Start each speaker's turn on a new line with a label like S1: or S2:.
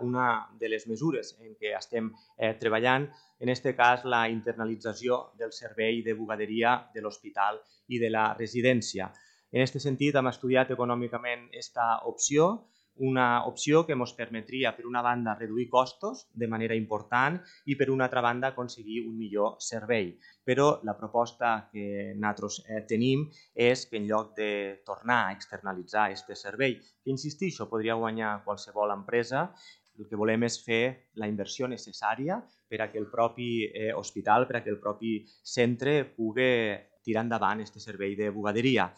S1: Una de les mesures en què estem treballant, en aquest cas, la internalització del servei de bugaderia de l'hospital i de la residència. En aquest sentit, hem estudiat econòmicament aquesta opció, una opció que ens permetria, per una banda, reduir costos de manera important i, per una altra banda, aconseguir un millor servei. Però la proposta que nosaltres tenim és que en lloc de tornar a externalitzar aquest servei, que insistixo, podria guanyar qualsevol empresa, el que volem és fer la inversió necessària per a que el propi hospital, per a que el propi centre pugui tirar endavant aquest servei de bugaderia.